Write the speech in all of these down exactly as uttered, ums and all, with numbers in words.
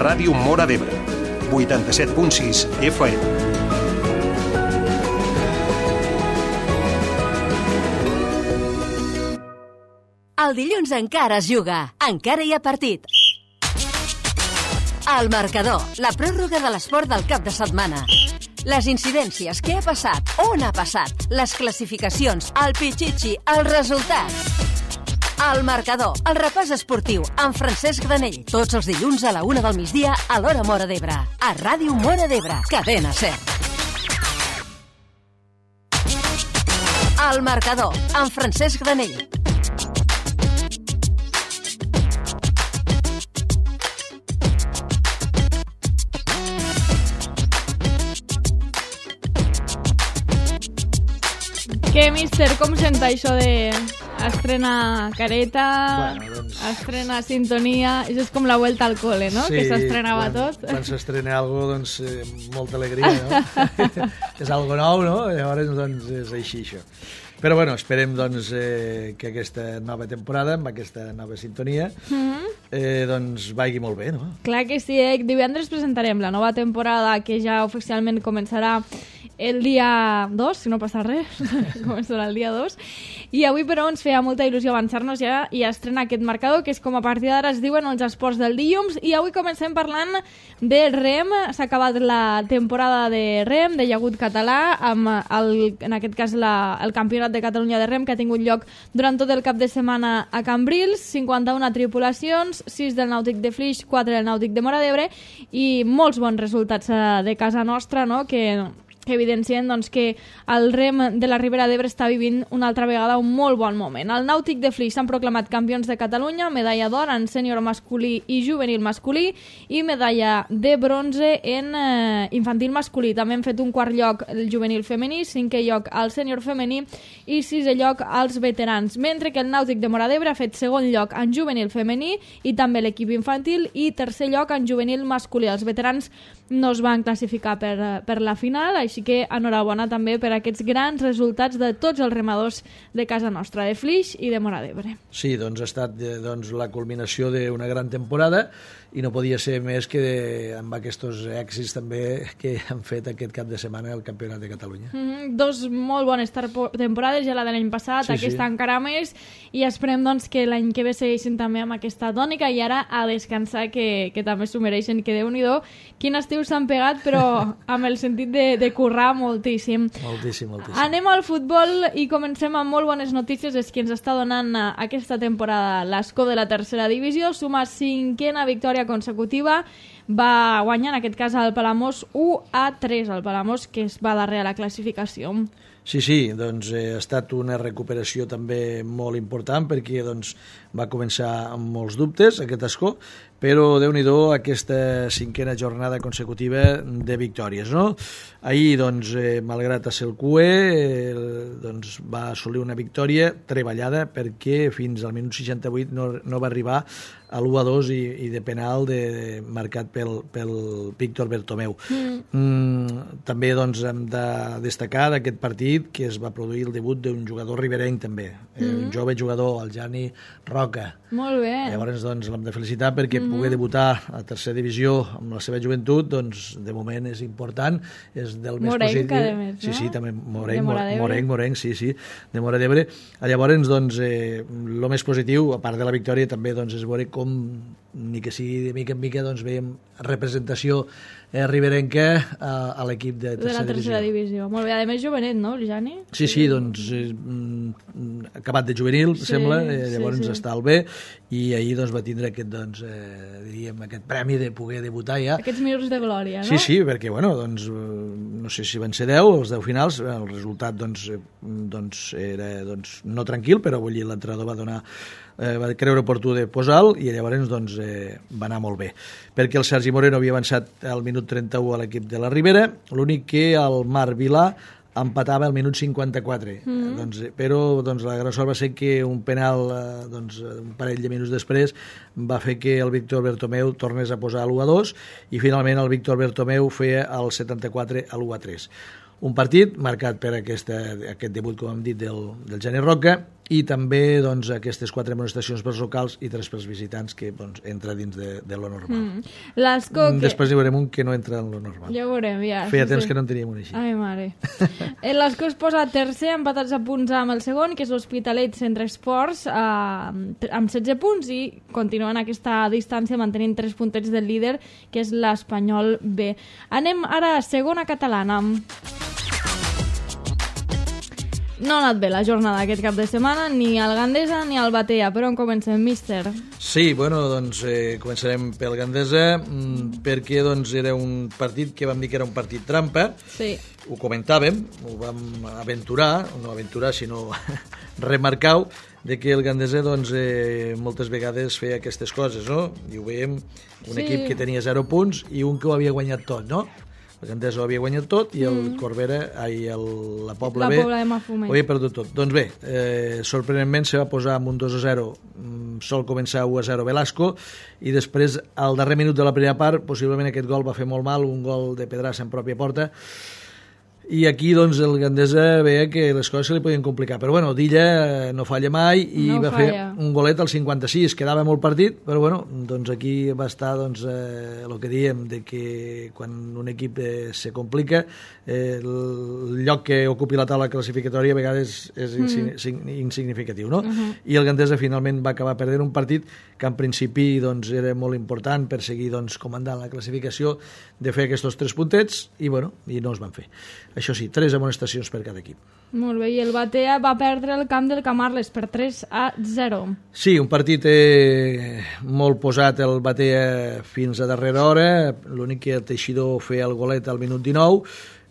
Ràdio Móra d'Ebre, vuitanta-set punt sis F M. El dilluns encara es juga, encara hi ha partit. El marcador, la pròrroga de l'esport del cap de setmana. Les incidències, què ha passat, on ha passat, les classificacions, el pitxitxi, els resultats. El marcador, el repàs esportiu, amb Francesc Granell. Tots els dilluns a la una del migdia a l'Hora Móra d'Ebre. A Ràdio Móra d'Ebre, cadena SER. El marcador, amb Francesc Granell. Què, míster, com senta això de estrena careta, bueno, doncs... estrena sintonia? Això és com la vuelta al cole, no? Sí, que s'estrenava quan, tot. Quan s'estrena alguna cosa, doncs, eh, molta alegria, no? És algo nou, no? Llavors, doncs, és així, això. Però, bueno, esperem, doncs, eh, que aquesta nova temporada, amb aquesta nova sintonia, mm-hmm. eh, doncs, vagi molt bé, no? Clar que sí, eh? Divendres presentarem la nova temporada, que ja oficialment començarà el dia dos, si no passa res, començarà el dia dos, i avui però ens feia molta il·lusió avançar-nos ja i estrenar aquest marcador, que és com a partir d'ara es diuen els esports del dilluns, i avui comencem parlant de rem. S'ha acabat la temporada de rem, de llagut català, amb el, en aquest cas la, el campionat de Catalunya de rem, que ha tingut lloc durant tot el cap de setmana a Cambrils, cinquanta-una tripulacions, sis del Nàutic de Flix, quatre del Nàutic de Móra d'Ebre, i molts bons resultats de casa nostra, no?, que... que evidencien doncs, que el rem de la Ribera d'Ebre està vivint una altra vegada un molt bon moment. El Nàutic de Flix s'han proclamat campions de Catalunya, medalla d'or en sènior masculí i juvenil masculí i medalla de bronze en eh, infantil masculí. També han fet un quart lloc el juvenil femení, cinquè lloc al sènior femení i sisè lloc als veterans, mentre que el Nàutic de Móra d'Ebre ha fet segon lloc en juvenil femení i també l'equip infantil i tercer lloc en juvenil masculí. Els veterans no es van classificar per, per la final, així que enhorabona també per aquests grans resultats de tots els remadors de casa nostra, de Flix i de Móra d'Ebre. Sí, doncs ha estat doncs, la culminació d'una gran temporada i no podia ser més que de, amb aquests èxits també que han fet aquest cap de setmana el Campionat de Catalunya. Mm-hmm. Dos molt bones temporades, ja la de l'any passat, sí, aquesta sí. Encara més, i esperem doncs, que l'any que ve segueixin també amb aquesta tònica i ara a descansar, que, que també s'ho mereixen, que Déu-n'hi-do, quin estiu s'han pegat, però amb el sentit de, de currar moltíssim. Moltíssim, moltíssim. Anem al futbol i comencem amb molt bones notícies, és que ens està donant aquesta temporada l'Escó de la tercera divisió, suma cinquena victòria consecutiva, va guanyar en aquest cas el Palamós u a tres, el Palamós que es va darrere a la classificació. Sí, sí, doncs eh, ha estat una recuperació també molt important perquè doncs, va començar amb molts dubtes aquest Escó, però Déu-n'hi-do aquesta cinquena jornada consecutiva de victòries, no? Ahir, doncs, eh, malgrat ser el Q E, eh, doncs, va assolir una victòria treballada perquè fins al minut seixanta-vuit no, no va arribar a l'u a dos i, i de penal de, de, marcat pel, pel Víctor Bertomeu. Mm. Mm, també doncs, hem de destacar d'aquest partit que es va produir el debut d'un jugador riberenc també, eh, mm. un jove jugador, el Jani Roca. Molt bé. Llavors doncs, l'hem de felicitar perquè mm. poder debutar a tercera divisió amb la seva joventut, doncs de moment és important, és del més Morenc, positiu. a més, no? Sí, sí, també Morenc, Morenc, Morenc, Morenc, sí, sí, de Móra d'Ebre. Llavors, doncs, eh, el més positiu, a part de la victòria, també doncs, és veure com, ni que sigui de mica en mica, doncs veiem representació eh, riberenca a, a l'equip de tercera, de la tercera divisió. divisió. Molt bé, a més jovenet, no, el Jani? Sí, sí, doncs eh, acabat de juvenil, sí, sembla, eh, llavors sí, sí. Està al bé, i ahir doncs, va tindre aquest, doncs, eh, diríem, aquest premi de poder debutar ja. Aquests minuts de glòria, no? Sí, sí, perquè, bueno, doncs, no sé si van ser deu, els deu finals, el resultat, doncs, doncs era doncs, no tranquil, però vull dir, l'entrenador va donar eh, va creure oportú de posar-lo i llavors doncs, eh, va anar molt bé, perquè el Sergi Moreno havia avançat al minut trenta-u a l'equip de la Ribera, l'únic que el Marc Vilà empatava al minut cinquanta-quatre, mm-hmm. doncs, però doncs, la gran sort va ser que un penal eh, doncs, un parell de minuts després va fer que el Víctor Bertomeu tornés a posar l'u a dos i finalment el Víctor Bertomeu feia el setanta-quatre a l'u a tres. Un partit marcat per aquesta, aquest debut, com hem dit, del, del Jani Roca, i també doncs, aquestes quatre amonestacions pels locals i tres pels visitants, que doncs, entra dins de, de lo normal. Mm. L'Ascó que... Després hi veurem un que no entra en lo normal. Ja ho veurem, ja. Feia sí, temps sí. que no en teníem un així. Ai, mare. L'Ascó es posa tercer, empatats a punts amb el segon, que és l'Hospitalet Centre Esports, eh, amb setze punts, i continuen aquesta distància mantenint tres puntets del líder, que és l'Espanyol B. Anem ara a segona catalana. No ha anat bé la jornada aquest cap de setmana, ni al Gandesa ni al Batea. Per on comencem, míster? Sí, bueno, doncs eh, començarem pel Gandesa, mmm, perquè doncs, era un partit que vam dir que era un partit trampa. Sí. Ho comentàvem, ho vam aventurar, no aventurar, sinó remarcar de que el Gandesa doncs, eh, moltes vegades feia aquestes coses, no? I ho veiem, un sí. equip que tenia zero punts i un que ho havia guanyat tot, no? El Gandesa ho havia guanyat tot i el mm. Corbera, ai, el, la Pobla la B Pobla ho havia perdut tot. Doncs bé, eh, sorprenentment se va posar amb un dos a zero, sol començar u a zero Velasco, i després al darrer minut de la primera part possiblement aquest gol va fer molt mal, un gol de Pedrassa en pròpia porta, i aquí doncs el Gandesa veia que les coses se li podien complicar, però bueno, Dilla no falla mai i no va falla. fer un golet al cinquanta-sis, quedava molt partit, però bueno, doncs aquí va estar doncs, eh, el que diem de que quan un equip eh, se complica, eh, el lloc que ocupi la taula classificatòria a vegades és mm. insignificatiu, no? Uh -huh. I el Gandesa finalment va acabar perdent un partit que en principi doncs, era molt important per seguir doncs, comandant la classificació, de fer aquests tres puntets, i bueno, i no es van fer. Això sí, tres amonestacions per cada equip. Molt bé, i el Batea va perdre el camp del Camarles per tres a zero. Sí, un partit eh, molt posat el Batea fins a darrera hora, l'únic que el Teixidor feia el golet al minut dinou,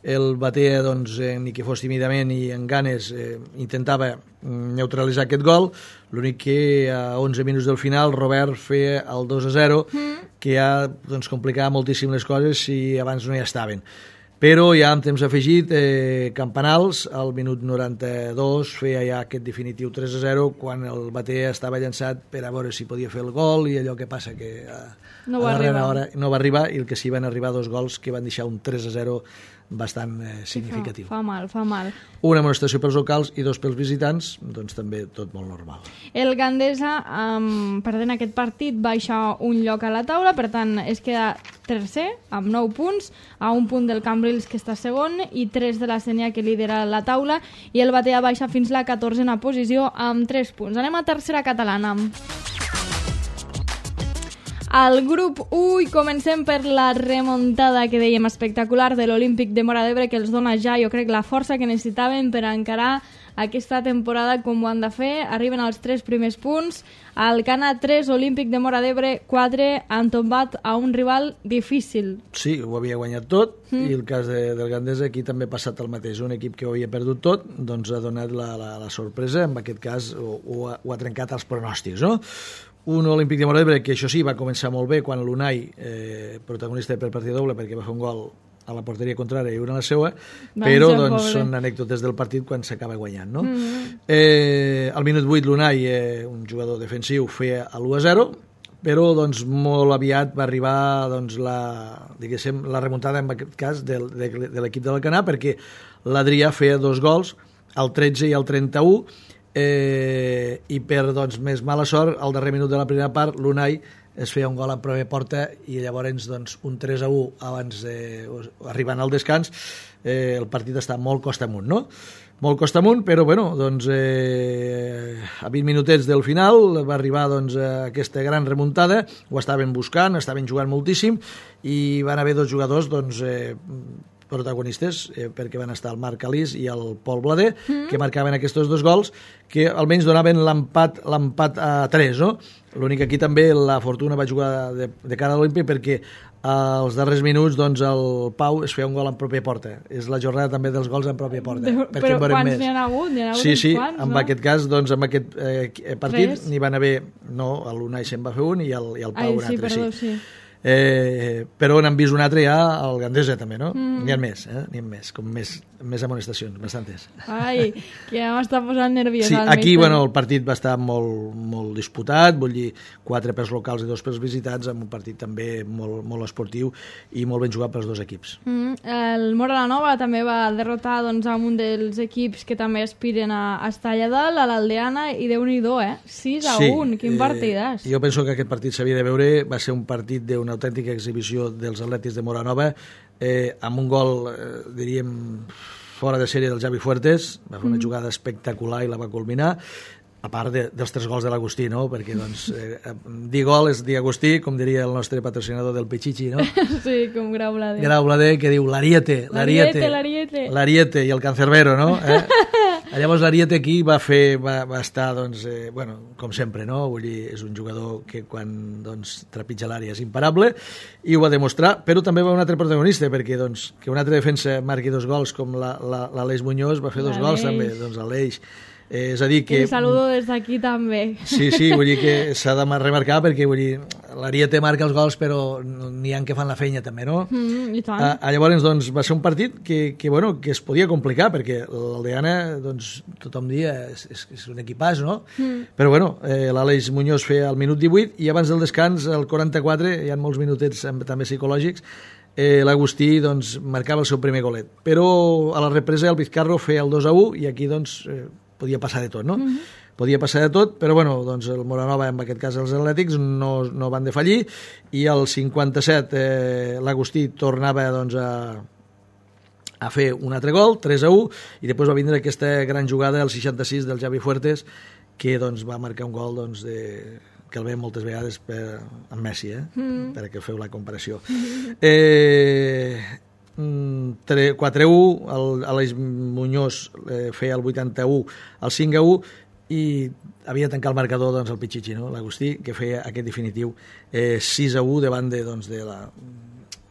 el Batea, doncs, eh, ni que fos tímidament i en ganes, eh, intentava neutralitzar aquest gol, l'únic que a onze minuts del final Robert feia el dos a zero, mm. que ja doncs, complicava moltíssim les coses si abans no hi estaven. Però ja amb temps afegit, eh, Campanals, al minut noranta-dos, feia ja aquest definitiu tres a zero, quan el Batea estava llançat per a veure si podia fer el gol, i allò que passa que a, no a va darrera arribar. hora no va arribar, i el que sí van arribar dos gols que van deixar un tres a zero bastant eh, significatiu. Fa, fa mal, fa mal. Una amonestació pels locals i dos pels visitants, doncs també tot molt normal. El Gandesa, um, perdent aquest partit, baixa un lloc a la taula, per tant es queda tercer amb nou punts, a un punt del Cambrils, que està segon, i tres de la Sénia, que lidera la taula, i el Batea baixa fins la catorzena posició amb tres punts. Anem a tercera catalana. Al grup u, i comencem per la remuntada que dèiem espectacular de l'Olímpic de Móra d'Ebre, que els dona ja, jo crec, la força que necessitaven per encarar aquesta temporada com ho han de fer. Arriben als tres primers punts. Al Cana tres, Olímpic de Móra d'Ebre quatre, han tombat a un rival difícil. Sí, ho havia guanyat tot, mm. i el cas de, del Gandesa aquí també ha passat el mateix. Un equip que ho havia perdut tot, doncs ha donat la, la, la sorpresa, en aquest cas ho, ho, ha, ho ha trencat els pronòstics, no? Un Olímpic de Móra d'Ebre que, això sí, va començar molt bé quan l'Unai, eh, protagonista per partit doble, perquè va fer un gol a la porteria contrària i una a la seua, Van però ser, doncs, pobre. són anècdotes del partit quan s'acaba guanyant, no? Mm -hmm. eh, al minut vuit l'Unai, eh, un jugador defensiu, feia l'u a zero, però doncs, molt aviat va arribar doncs, la, diguéssim, la remuntada, en aquest cas, de, de, de l'equip de l'Alcanar, perquè l'Adrià feia dos gols, al tretze i al trenta-u, eh, i per doncs, més mala sort, al darrer minut de la primera part, l'Unai es feia un gol en pròpia porta, i llavors doncs, un tres a u abans de, arribant al descans, eh, el partit està molt costa amunt, no? Molt costa amunt, però bueno, doncs, eh, a vint minutets del final va arribar doncs, aquesta gran remuntada, ho estaven buscant, estaven jugant moltíssim, i van haver dos jugadors doncs, eh, protagonistes, eh, perquè van estar el Marc Alís i el Pol Blader, mm. que marcaven aquests dos gols, que almenys donaven l'empat l'empat a tres, no? L'únic aquí també la Fortuna va jugar de, de cara a l'Olímpic, perquè als darrers minuts doncs, el Pau es feia un gol en pròpia porta. És la jornada també dels gols en pròpia porta. De, però quants n'hi ha hagut? N'hi ha hagut sí, sí, quants, en no? aquest cas, doncs, en aquest eh, partit n'hi van haver, no, l'Unai se'n va fer un i el, i el Pau Ai, un sí, altre, perdó, sí. sí. Eh, però n'han vist un altre ja al Gandesa també, no? Mm. N'hi ha més, eh? N'hi ha més, com més, més amonestacions, bastantes. Ai, que ja m'està posant nerviós. Sí, aquí, bueno, el partit va estar molt, molt disputat, vull dir, quatre pels locals i dos pels visitants, amb un partit també molt, molt esportiu i molt ben jugat pels dos equips. Mm, el Móra la Nova també va derrotar doncs, amb un dels equips que també aspiren a, a estar allà dalt, a l'Aldeana, i Déu-n'hi-do, eh? sis a un, quin eh, partidàs. Jo penso que aquest partit s'havia de veure, va ser un partit d'una autèntica exhibició dels atlètics de Móra Nova, eh, amb un gol, eh, diríem, fora de sèrie del Javi Fuertes, va fer una mm. jugada espectacular i la va culminar, a part de, dels tres gols de l'Agustí, no? Perquè, doncs, eh, dir gol és dir Agustí, com diria el nostre patrocinador del Pichichi, no? Sí, com Grau Blader. Grau Blader, que diu l'Ariete, l'Ariete, l'Ariete, l'Ariete i el Cancerbero, no? Eh? Llavors l'Ariete aquí va fer, va, va estar, doncs, eh, bueno, com sempre, no? Vull dir, és un jugador que quan, doncs, trepitja l'àrea és imparable, i ho va demostrar, però també va un altre protagonista, perquè, doncs, que un altre defensa marqui dos gols, com l'Aleix Muñoz va fer dos gols també, doncs l'Aleix. Eh, és a dir que... I saludo des d'aquí també. Sí, sí, vull dir que s'ha de remarcar perquè, vull dir, l'Ariete marca els gols però n'hi ha que fan la feina també, no? Mm, i tant. Ah, llavors, doncs, va ser un partit que, que, bueno, que es podia complicar perquè l'Aldeana, doncs, tothom dia és, és, és un equipàs, no? Mm. Però, bueno, eh, l'Àlex Muñoz feia el minut divuit i abans del descans, el quaranta-quatre, hi ha molts minutets també psicològics, eh, l'Agustí, doncs, marcava el seu primer golet. Però a la represa el Vizcarro feia el dos a u i aquí, doncs, eh, podia passar de tot, no? Mm-hmm. Podia passar de tot, però bueno, doncs el Moranova, en aquest cas els atlètics, no, no van defallir, i al cinquanta-set eh, l'Agustí tornava doncs, a, a fer un altre gol, tres a u, i després va vindre aquesta gran jugada al seixanta-sis del Javi Fuertes, que doncs, va marcar un gol doncs, de, que el veiem moltes vegades per, amb Messi, eh? Mm. perquè feu la comparació. Mm. Eh... quatre a u, l'Aleix Muñoz eh, feia el vuitanta-u, el cinc a u, i havia de tancar el marcador doncs, el Pichichi, no? l'Agustí, que feia aquest definitiu eh, sis a u davant de, doncs, de la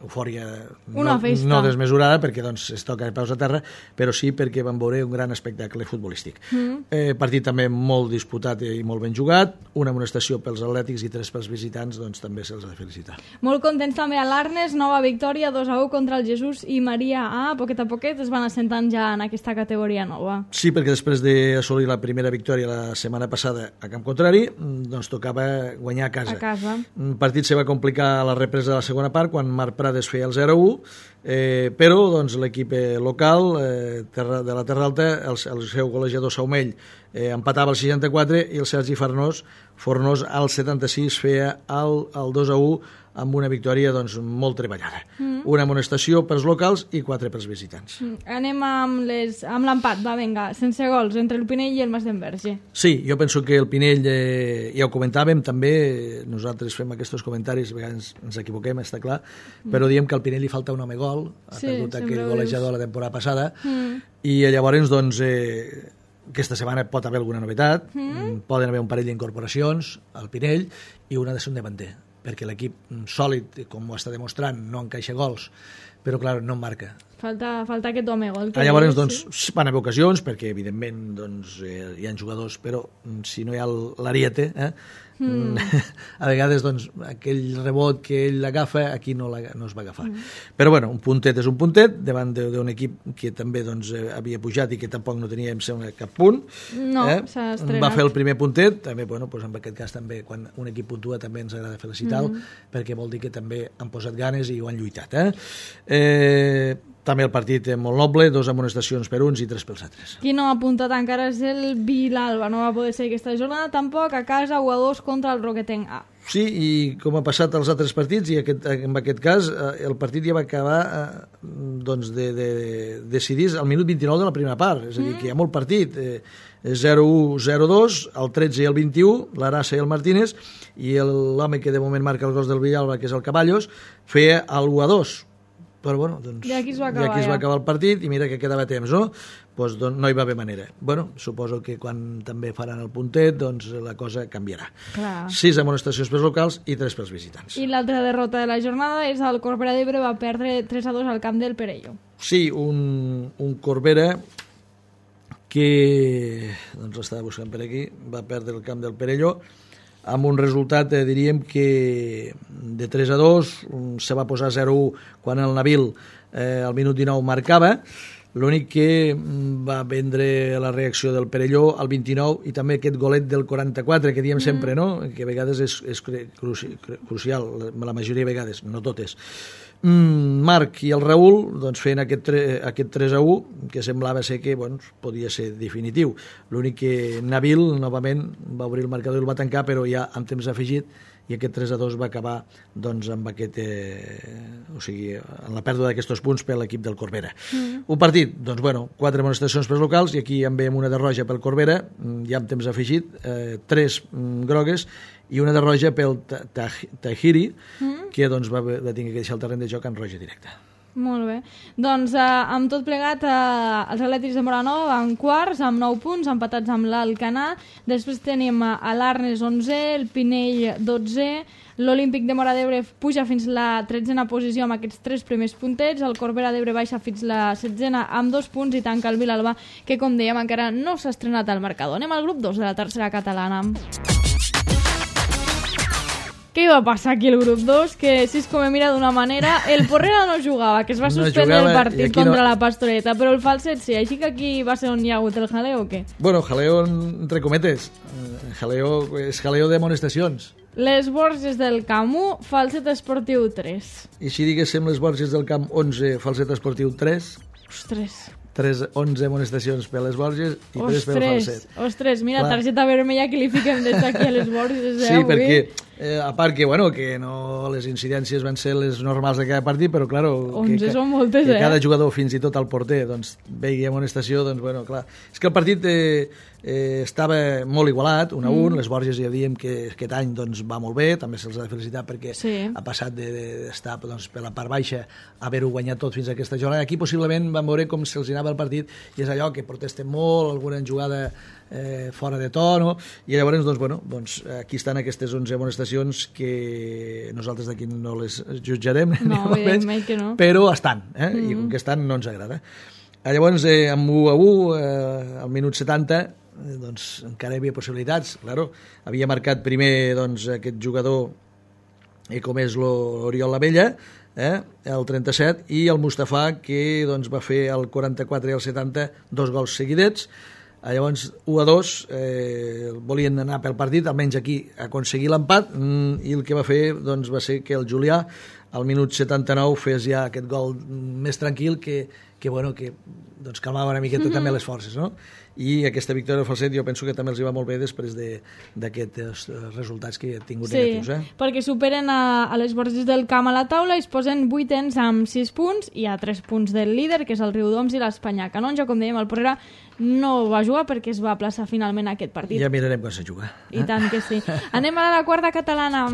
eufòria no, no desmesurada, perquè doncs, es toca de peus a terra, però sí perquè van veure un gran espectacle futbolístic. Mm. Eh, partit també molt disputat i molt ben jugat, una amonestació pels atlètics i tres pels visitants, doncs també se'ls ha de felicitar. Molt contents també a l'Arnes, nova victòria, dos a u contra el Jesús i Maria A. A poquet a poquet es van assentant ja en aquesta categoria nova. Sí, perquè després d'assolir la primera victòria la setmana passada a camp contrari, doncs tocava guanyar a casa. A casa. El partit se va complicar a la represa de la segona part, quan Marc Prades feia el zero a u, eh, però doncs, l'equip local eh, terra, de la Terra Alta, el, el seu golejador Saumell, eh, empatava el seixanta-quatre i el Sergi Fornós, Fornós al setanta-sis feia el, el dos a u amb una victòria doncs, molt treballada. Mm. Una amonestació pels locals i quatre pels visitants. Mm. Anem amb, les, amb l'empat, va, vinga, sense gols, entre el Pinell i el Mas d'Enverge. Sí, jo penso que el Pinell, eh, ja ho comentàvem, també nosaltres fem aquests comentaris, a vegades ens equivoquem, està clar, mm. però diem que al Pinell li falta un home gol, ha sí, perdut aquell golejador la temporada passada, mm. i llavors, doncs, eh, aquesta setmana pot haver alguna novetat, mm. poden haver un parell d'incorporacions al Pinell, i una de ser un davanter, perquè l'equip sòlid, com ho està demostrant, no encaixa gols, però, clar, no en marca. Falta, falta aquest home gol. Ah, llavors, doncs, sí? Van haver ocasions, perquè, evidentment, doncs, eh, hi ha jugadors, però si no hi ha l'Ariete, eh, mm. a vegades, doncs, aquell rebot que ell agafa, aquí no, la, no es va agafar. Mm. Però, bueno, un puntet és un puntet, davant d'un equip que també, doncs, havia pujat i que tampoc no tenia, em sembla, cap punt. No, eh? s'ha estrenat. Va fer el primer puntet, també, bueno, doncs, en aquest cas, també, quan un equip puntua, també ens agrada felicitar-lo, mm. perquè vol dir que també han posat ganes i ho han lluitat, eh? Eh... També el partit és molt noble, dos amonestacions per uns i tres pels altres. Qui no ha apuntat encara és el Vilalba, no va poder ser aquesta jornada tampoc, a casa u a dos contra el Roquetenc A. Sí, i com ha passat als altres partits, i aquest, en aquest cas el partit ja va acabar eh, doncs de, de, de decidir al minut vint-i-nou de la primera part, és a dir, que hi ha molt partit, eh, zero a u, zero a dos, el tretze i el vint-i-u, l'Arassa i el Martínez, i l'home que de moment marca els gols del Villalba, que és el Caballos, feia el u a dos. Però, bueno, doncs, ja aquí es va acabar, ja aquí es va acabar el partit i mira que quedava temps, no? Pues, doncs, no hi va haver manera. Bueno, suposo que quan també faran el puntet, doncs la cosa canviarà. Clar. Sis amonestacions pels locals i tres pels visitants. I l'altra derrota de la jornada és el Corbera d'Ebre, va perdre tres a dos al camp del Perelló. Sí, un, un Corbera que, doncs l'estava buscant per aquí, va perdre el camp del Perelló amb un resultat, eh, diríem que de tres a dos, se va posar zero a u quan el Nabil eh, al minut dinou marcava. L'únic que va vendre la reacció del Perelló al vint-i-nou i també aquest golet del quaranta-quatre que diem mm. sempre, no? Que a vegades és, és cruci, crucial, la majoria de vegades, no totes. Mm, Marc i el Raül doncs, feien aquest, tre, aquest tres a u que semblava ser que bueno, podia ser definitiu. L'únic que Nabil novament va obrir el marcador i el va tancar, però ja amb temps afegit, i aquest tres a dos va acabar doncs, amb aquest, eh, o sigui, en la pèrdua d'aquests punts per l'equip del Corbera. Mm. Un partit, doncs, bueno, quatre amonestacions pels locals, i aquí en veiem una de roja pel Corbera, ja amb temps afegit, eh, tres mm, grogues, i una de roja pel Tahiri, mm. que doncs, va, va tenir que deixar el terreny de joc en roja directa. Molt bé. Doncs eh, amb tot plegat, eh, els atlètics de Moranova en quarts, amb nou punts, empatats amb l'Alcanar. Després tenim a l'Arnes onze, el Pinell dotze, l'Olímpic de Móra d'Ebre puja fins la tretzena posició amb aquests tres primers puntets, el Corbera d'Ebre baixa fins la setzena amb dos punts i tanca el Vilalba, que com dèiem encara no s'ha estrenat al marcador. Anem al grup dos de la tercera catalana. Què va passar aquí al grup dos? Que si es com mira d'una manera, el Porrera no jugava, que es va suspendre no el partit contra no... la Pastoreta, però el Falset sí, així que aquí va ser on hi ha hagut el jaleo o què? Bueno, jaleo entre cometes, jaleo, és jaleo de amonestacions. Les Borges del Camp u, Falset Esportiu tres. I si diguéssim les Borges del Camp onze, Falset Esportiu tres? Ostres... tres, onze amonestacions per les Borges i tres per el Falset. Ostres, mira, clar. Targeta vermella que li fiquem des d'aquí a les Borges. Eh, sí, avui. perquè, eh, a part que, bueno, que no les incidències van ser les normals de cada partit, però, clar, onze que, són moltes, que eh? cada jugador, fins i tot el porter, doncs, veia amonestació, doncs, bueno, clar. És que el partit eh, eh, estava molt igualat, un a un, mm. les Borges ja diem que aquest any doncs, va molt bé, també se'ls ha de felicitar perquè sí. ha passat d'estar de, de, doncs, per la part baixa a haver-ho guanyat tot fins a aquesta jornada. Aquí possiblement van veure com se'ls anava el partit i és allò que protesten molt, alguna jugada eh, fora de to, no? I llavors, doncs, bueno, doncs, aquí estan aquestes onze amonestacions que nosaltres d'aquí no les jutjarem, no, evidentment que no. Però estan, eh? Mm-hmm. I com que estan no ens agrada. Llavors, eh, amb u a u, eh, al minut setanta, eh, doncs encara hi havia possibilitats, claro. Havia marcat primer doncs, aquest jugador eh, com és l'Oriol Lavella, eh, el trenta-set, i el Mustafà, que doncs, va fer el quaranta-quatre i el setanta dos gols seguidets. Llavors, u a dos, eh, volien anar pel partit, almenys aquí aconseguir l'empat, i el que va fer doncs, va ser que el Julià al minut setanta-nou fes ja aquest gol més tranquil que, que, bueno, que doncs, calmava una miqueta mm-hmm. també les forces, no? I aquesta victòria del Falset jo penso que també els hi va molt bé després d'aquests de, resultats que ha tingut sí, negatius. Eh? Perquè superen a, a les Borges del Camp a la taula i es posen vuitens amb sis punts i a tres punts del líder, que és el Riudoms i l'Espanyà Canonja. Com dèiem, el Porrera no va jugar perquè es va plaçar finalment aquest partit. Ja mirarem quan se juga. I eh? tant que sí. Anem a la quarta catalana.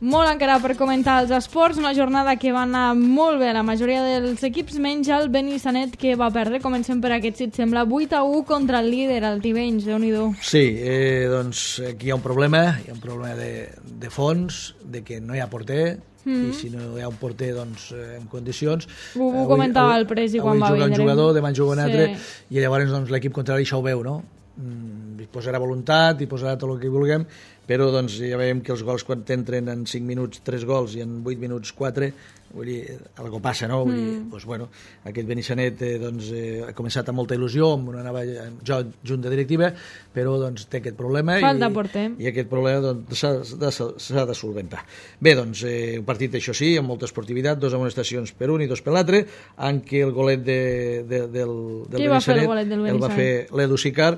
Molt encara per comentar els esports, una jornada que va anar molt bé a la majoria dels equips, menys el Benissanet, que va perdre. Comencem per aquest, si et sembla, vuit a u contra el líder, el Tivenys, Déu-n'hi-do. Sí, eh, doncs aquí hi ha un problema, hi ha un problema de, de fons, de que no hi ha porter, mm. i si no hi ha un porter doncs, en condicions... Ho, ho comentava el Presi quan va vindre. Avui juga un jugador, demà juga un altre, sí. I llavors doncs, l'equip contrari això ho veu, no? Mm, hi posarà voluntat, hi posarà tot el que vulguem, però doncs, ja veiem que els gols quan t'entren en cinc minuts tres gols i en vuit minuts quatre, vull dir, algo passa, no? Vull dir, mm. doncs, bueno, aquest Benissanet eh, doncs, eh, ha començat amb molta il·lusió, amb una nova jo, junta directiva, però doncs, té aquest problema Falta i, porter. i aquest problema doncs, s'ha de, s'ha de solventar. Bé, doncs, eh, un partit, això sí, amb molta esportivitat, dos amonestacions per un i dos per l'altre, en què el golet de, de, del, del Benissanet el, el va fer l'Edu Sicar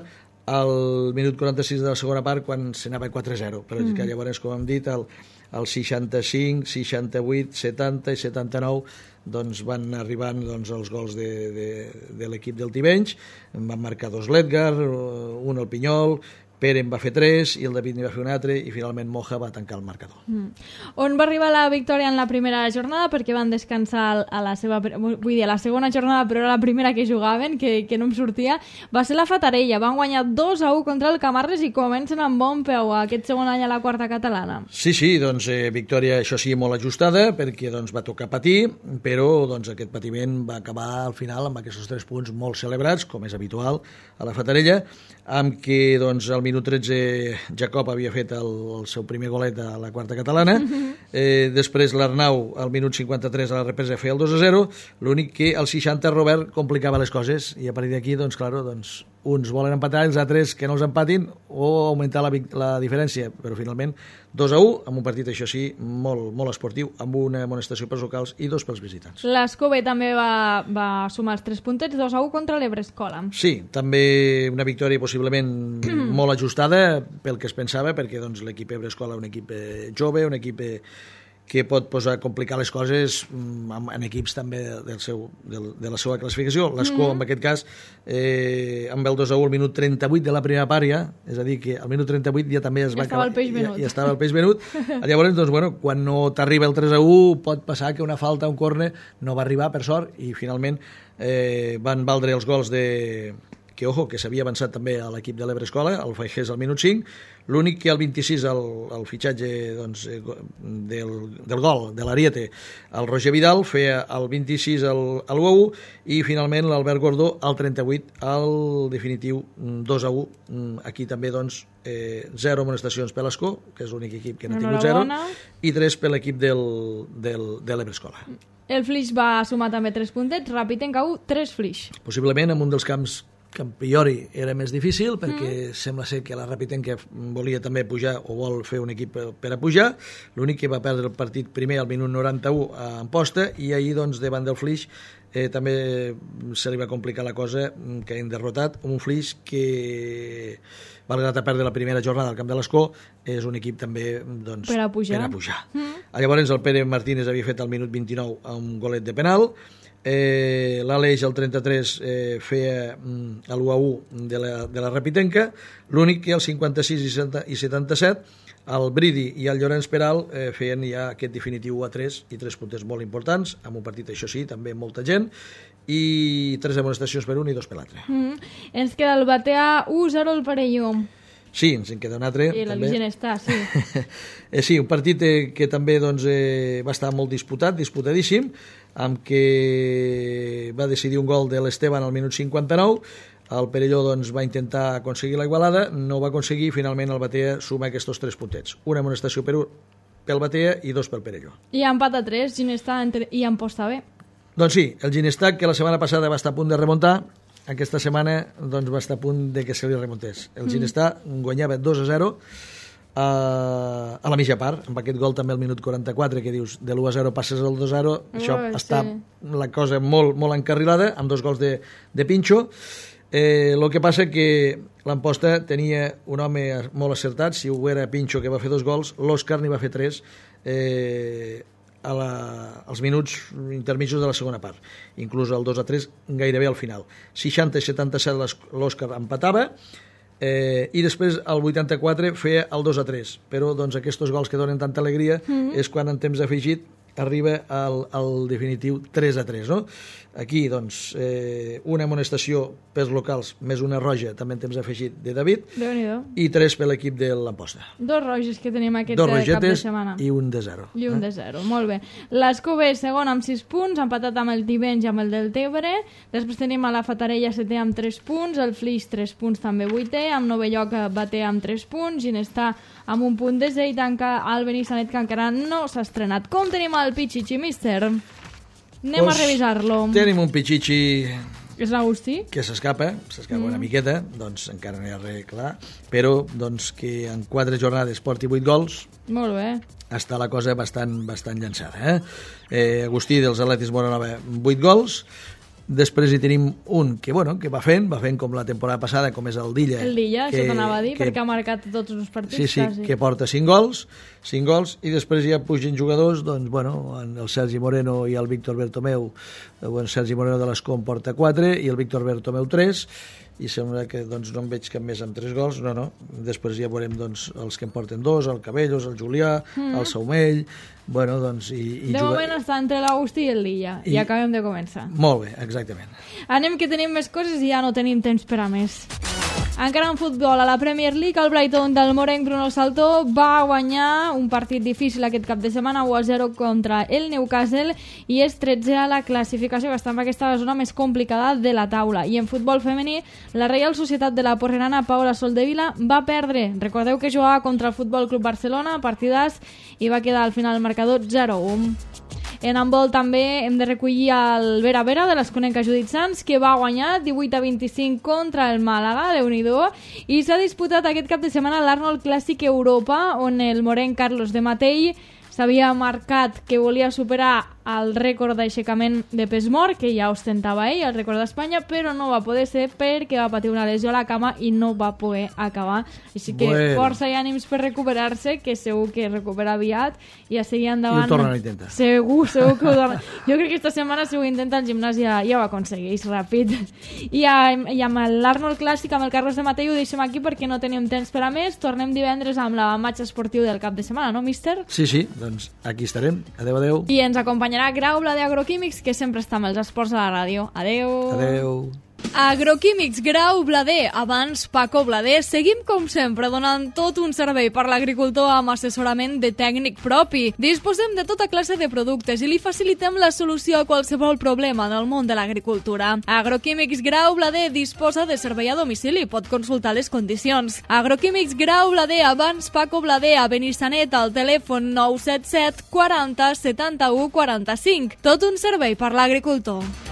al minut quaranta-sis de la segona part quan s'anava quatre a zero, però mm. que llavors, com hem dit, el, el seixanta-cinc, seixanta-vuit, setanta i setanta-nou doncs van arribant doncs, els gols de, de, de l'equip del Tivenys, van marcar dos l'Edgar, un el Pinyol, Pere en va fer tres i el David n'hi va fer un altre i finalment Moja va tancar el marcador. Mm. On va arribar la victòria en la primera jornada perquè van descansar a la seva, vull dir, a la segona jornada, però era la primera que jugaven, que, que no em sortia, va ser la Fatarella. Van guanyar dos a u contra el Camarles i comencen amb bon peu aquest segon any a la quarta catalana. Sí, sí, doncs eh, victòria, això sí, molt ajustada, perquè doncs, va tocar patir, però doncs, aquest patiment va acabar al final amb aquests tres punts molt celebrats, com és habitual a la Fatarella, amb què doncs, al minut tretze Jacob havia fet el, el seu primer golet a la quarta catalana, eh, després l'Arnau al minut cinquanta-tres a la represa feia el dos a zero, l'únic que al seixanta Robert complicava les coses i a partir d'aquí, doncs, claro, doncs, uns volen empatar, els altres que no els empatin o augmentar la, la diferència, però finalment dos a u, amb un partit, això sí, molt, molt esportiu, amb una amonestació pels locals i dos pels visitants. L'Escove també va, va sumar els tres puntets, dos a u contra l'Ebrescola. Sí, també una victòria possiblement molt ajustada pel que es pensava, perquè doncs, l'equip Ebrescola és un equip eh, jove, un equip eh, que pot posar complicar les coses en, en equips també del seu, del, de la seva classificació. L'Escó, mm-hmm. en aquest cas, eh, amb el dos a u al minut trenta-vuit de la primera part ja, és a dir, que al minut trenta-vuit ja també es ja va estava acabar... el peix venut. Ja, ja estava el peix venut. Llavors, doncs, bueno, quan no t'arriba el tres a u, pot passar que una falta, un córner, no va arribar, per sort, i finalment eh, van valdre els gols de... que, ojo, que s'havia avançat també a l'equip de l'Ebrescola, el Faigés al minut cinc, l'únic que al vint-i-sis, el, el fitxatge doncs, del, del gol, de l'Ariete, el Roger Vidal feia el vint-i-sis el, el u a u i finalment l'Albert Gordó al trenta-vuit, al definitiu dos a u. Aquí també doncs, eh, zero amonestacions per l'Escó, que és l'únic equip que n'ha tingut zero, i tres per l'equip del, del, de l'Ebrescola. El Flix va sumar també tres puntets, Ràpid en cau tres Flix. Possiblement en un dels camps que a priori era més difícil perquè mm. sembla ser que la Rapitenca volia també pujar o vol fer un equip per a pujar, l'únic que va perdre el partit primer al minut noranta-u a Amposta i ahir doncs davant del Flix eh, també se li va complicar la cosa que hem derrotat un Flix que malgrat a perdre la primera jornada al camp de l'Escó és un equip també doncs, per a pujar, per a pujar. Mm. Llavors el Pere Martínez havia fet al minut vint-i-nou un golet de penal. Eh, l'Aleix al trenta-tres eh, feia mm, l'u a u de la, de la Rapitenca, l'únic que al cinquanta-sis i setanta-set el Bridi i el Llorenç Peral eh, feien ja aquest definitiu u a tres i tres punts molt importants, amb un partit això sí, també molta gent i tres amonestacions per un i dos per l'altre. Mm. Ens queda el Batea u a zero al Perelló. Sí, ens en queda un altre. I la Vigent està, sí. eh, sí, un partit eh, que també doncs, eh, va estar molt disputat, disputadíssim, amb què va decidir un gol de l'Esteban al minut cinquanta-nou. El Perelló doncs, va intentar aconseguir la igualada, no ho va aconseguir, finalment el Batea suma aquests tres puntets. Una amonestació per un pel Batea i dos pel Perelló. I empat a tres, Ginestà i Amposta B. Doncs sí, el Ginestà, que la setmana passada va estar a punt de remuntar, aquesta setmana doncs, va estar a punt de que se li remuntés. El Ginestà mm. guanyava dos a zero a, a la mitja part, amb aquest gol també al minut quaranta-quatre, que dius, de l'u a zero passes al dos a zero, oh, això sí. Està la cosa molt, molt encarrilada, amb dos gols de, de Pinxo. Eh, el que passa que l'Amposta tenia un home molt acertat, si ho era Pinxo, que va fer dos gols, l'Òscar n'hi va fer tres, eh, a la, als minuts intermitjos de la segona part, inclús el dos a tres gairebé al final. seixanta i setanta-set l'Òscar empatava, eh, i després el vuitanta-quatre feia el dos a tres, però doncs, aquests gols que donen tanta alegria mm-hmm. és quan en temps afegit arriba al, al definitiu tres a tres, no? Aquí, doncs, eh, una amonestació pels locals, més una roja, també en temps afegit, de David, i tres per l'equip de l'Amposta. Dos roges que tenim aquest Dos cap de setmana. I un de zero. I un eh? de zero, molt bé. L'Escové segon amb sis punts, empatat amb el Tivenys i amb el del Tebre. Després tenim a la Fatarella setè amb tres punts, el Flix tres punts també vuitè, amb Novelloc Bater amb tres punts, Ginestà amb un punt desè i tanca el Benissanet, que encara no s'ha estrenat. Com tenim el Pichichi, míster? Anem pues, a revisar-lo. Tenim un Pichichi... És l'Agustí? Que s'escapa, s'escapa mm. una miqueta, doncs encara no hi ha res clar, però doncs, que en quatre jornades porti vuit gols... Molt bé. Està la cosa bastant, bastant llançada. Eh? Eh, Agustí dels Atletis Moranova, vuit gols. Després hi tenim un que, bueno, que va fent, va fent com la temporada passada, com és el Dilla. El Dilla, que, això t'anava a dir, que, perquè ha marcat tots els partits. Sí, sí, quasi. Que porta cinc gols, cinc gols, i després ja pugen jugadors, doncs, bueno, el Sergi Moreno i el Víctor Bertomeu, bueno, Sergi Moreno de l'Escom porta quatre, i el Víctor Bertomeu tres, i sembla que doncs, no en veig cap més amb tres gols, no, no, després ja veurem doncs, els que en porten dos, el Cabellos, el Julià, mm. el Saumell, bueno, doncs... I, i de juga... moment està entre l'Agustí i el Lilla, i... i acabem de començar. Molt bé, exactament. Anem que tenim més coses i ja no tenim temps per a més. Encara en futbol, a la Premier League, el Brighton del morenc Bruno Saltó va guanyar un partit difícil aquest cap de setmana, u a zero contra el Newcastle, i és tretzè a la classificació, que està en aquesta zona més complicada de la taula. I en futbol femení, la Reial Societat de la Porrerana Paula Soldevila va perdre. Recordeu que jugava contra el Futbol Club Barcelona, partidàs, i va quedar al final el marcador zero a u. En handbol també hem de recollir el Vera Vera de l'Esconenca Judit Sans, que va guanyar divuit a vint-i-cinc contra el Màlaga, Déu-n'hi-do, i s'ha disputat aquest cap de setmana l'Arnold Clàssic Europa, on el morenc Carlos de Matei s'havia marcat que volia superar el rècord d'aixecament de pes mort, que ja ostentava ell, el rècord d'Espanya, però no va poder ser perquè va patir una lesió a la cama i no va poder acabar. Així que bueno, força i ànims per recuperar-se, que segur que recupera aviat i a seguir endavant. I ho tornen a intentar. Segur, segur que ho tornen. Jo crec que esta setmana, si ho intenta, el gimnàs ja, ja ho aconsegueix ràpid. I, a, i amb l'Arnold Clàssic, amb el Carlos de Matei, ho deixem aquí perquè no tenim temps per a més. Tornem divendres amb la matxa esportiu del cap de setmana, no, míster? Sí, sí, doncs aquí estarem. Adéu, adéu. I ens acompanyarà Grau Blader Agroquímics, que sempre està amb els esports a la ràdio. Adéu. Adéu. Agroquímics Grau Blader, abans Paco Blader. Seguim com sempre donant tot un servei per l'agricultor amb assessorament de tècnic propi. Disposem de tota classe de productes i li facilitem la solució a qualsevol problema del món de l'agricultura. Agroquímics Grau Blader disposa de servei a domicili, pot consultar les condicions. Agroquímics Grau Blader, abans Paco Blader, a Benissanet, al telèfon nou set set quaranta setanta-u quaranta-cinc. Tot un servei per l'agricultor.